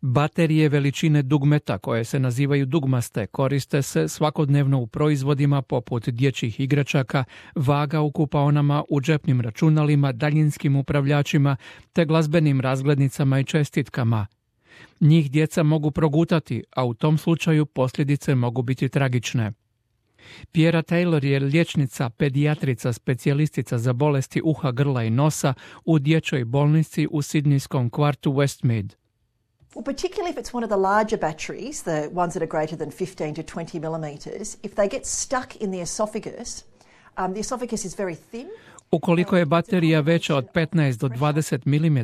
Baterije veličine dugmeta, koje se nazivaju dugmaste, koriste se svakodnevno u proizvodima poput dječjih igračaka, vaga u kupaonama, u džepnim računalima, daljinskim upravljačima te glazbenim razglednicama i čestitkama. Njih djeca mogu progutati, a u tom slučaju posljedice mogu biti tragične. Piera Taylor je liječnica, pedijatrica, specijalistica za bolesti uha, grla i nosa u dječjoj bolnici u sidnijskom kvartu Westmead. Well, particularly if it's one of the larger batteries, the ones that are greater than 15 to 20 millimeters, if they get stuck in the esophagus is very thin. Ukoliko je baterija veća od 15 do 20 mm,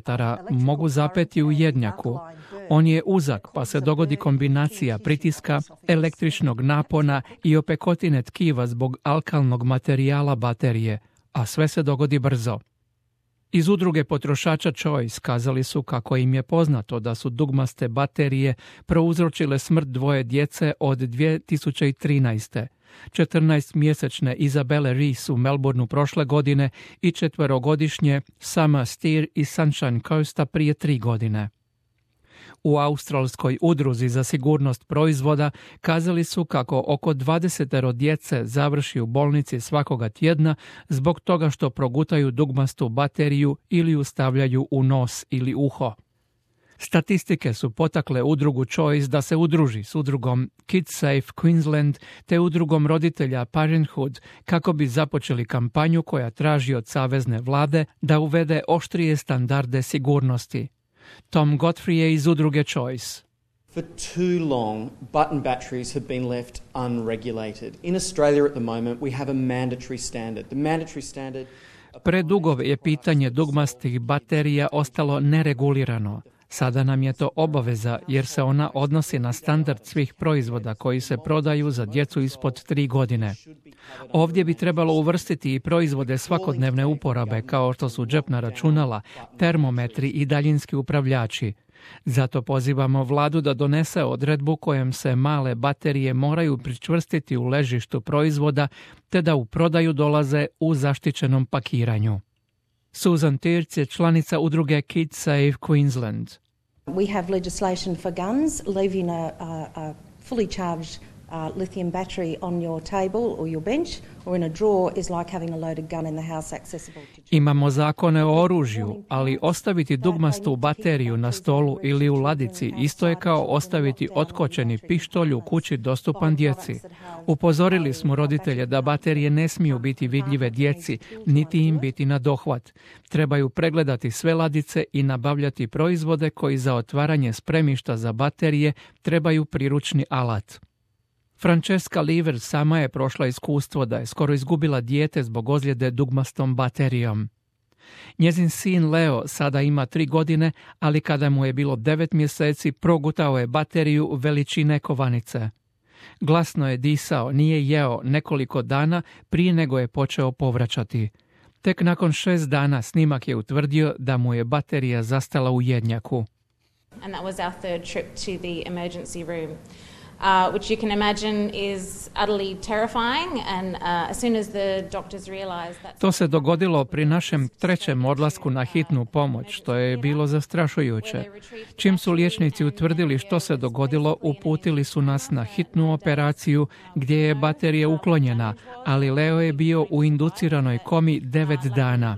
mogu zapeti u jednjaku. On je uzak, pa se dogodi kombinacija pritiska, električnog napona i opekotine tkiva zbog alkalnog materijala baterije, a sve se dogodi brzo. Iz udruge potrošača Choice kazali su kako im je poznato da su dugmaste baterije prouzročile smrt dvoje djece od 2013. 14-mjesečne Isabelle Reese u Melbourneu prošle godine i 4-godišnje Summer Steer iz Sunshine Coasta prije 3 godine. U australskoj udruzi za sigurnost proizvoda kazali su kako oko 20 djece završi u bolnici svakoga tjedna zbog toga što progutaju dugmastu bateriju ili ju stavljaju u nos ili uho. Statistike su potakle udrugu Choice da se udruži s udrugom KidSafe Queensland te udrugom roditelja Parenthood kako bi započeli kampanju koja traži od savezne vlade da uvede oštrije standarde sigurnosti. Tom Godfrey je iz udruge Choice. For too long, button batteries have been left unregulated. In Australia at the moment we have a mandatory standard. The mandatory standard... Predugo je pitanje dugmastih baterija ostalo neregulirano. Sada nam je to obaveza jer se ona odnosi na standard svih proizvoda koji se prodaju za djecu ispod 3 godine. Ovdje bi trebalo uvrstiti i proizvode svakodnevne uporabe kao što su džepna računala, termometri i daljinski upravljači. Zato pozivamo vladu da donese odredbu kojom se male baterije moraju pričvrstiti u ležištu proizvoda te da u prodaju dolaze u zaštićenom pakiranju. Susan Tirz je članica udruge KidSafe Queensland. We have legislation for guns, leaving a fully charged lithium battery on your table or your bench or in a drawer is like having a loaded gun in the house accessible to children. Imamo zakone o oružju, ali ostaviti dugmastu bateriju na stolu ili u ladici isto je kao ostaviti otkočeni pištolj u kući dostupan djeci. Upozorili smo roditelje da baterije ne smiju biti vidljive djeci, niti im biti na dohvat. Trebaju pregledati sve ladice i nabavljati proizvode koji za otvaranje spremišta za baterije trebaju priručni alat. Francesca Lever sama je prošla iskustvo da je skoro izgubila dijete zbog ozljede dugmastom baterijom. Njezin sin Leo sada ima 3 godine, ali kada mu je bilo 9 mjeseci progutao je bateriju veličine kovanice. Glasno je disao, nije jeo nekoliko dana prije nego je počeo povraćati. Tek nakon 6 dana snimak je utvrdio da mu je baterija zastala u jednjaku. And that was our third trip to the emergency room. Which you can imagine is utterly terrifying and as soon as the doctors realized that... To se dogodilo pri našem 3. odlasku na hitnu pomoć, što je bilo zastrašujuće. Čim su liječnici utvrdili što se dogodilo, uputili su nas na hitnu operaciju gdje je baterija uklonjena, ali Leo je bio u induciranoj komi 9 dana.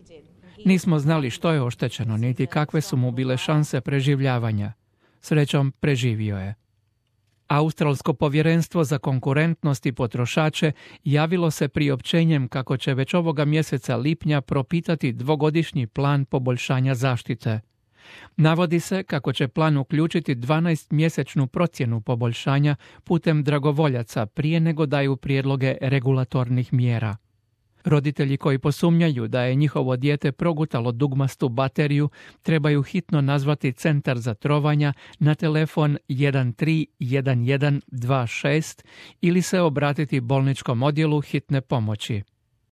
Nismo znali što je oštećeno, niti kakve su mu bile šanse preživljavanja. Srećom, preživio je. Australsko povjerenstvo za konkurentnost i potrošače javilo se priopćenjem kako će već ovoga mjeseca lipnja propitati 2-godišnji plan poboljšanja zaštite. Navodi se kako će plan uključiti 12-mjesečnu procjenu poboljšanja putem dragovoljaca prije nego daju prijedloge regulatornih mjera. Roditelji koji posumnjaju da je njihovo dijete progutalo dugmastu bateriju trebaju hitno nazvati centar za trovanja na telefon 131126 ili se obratiti bolničkom odjelu hitne pomoći.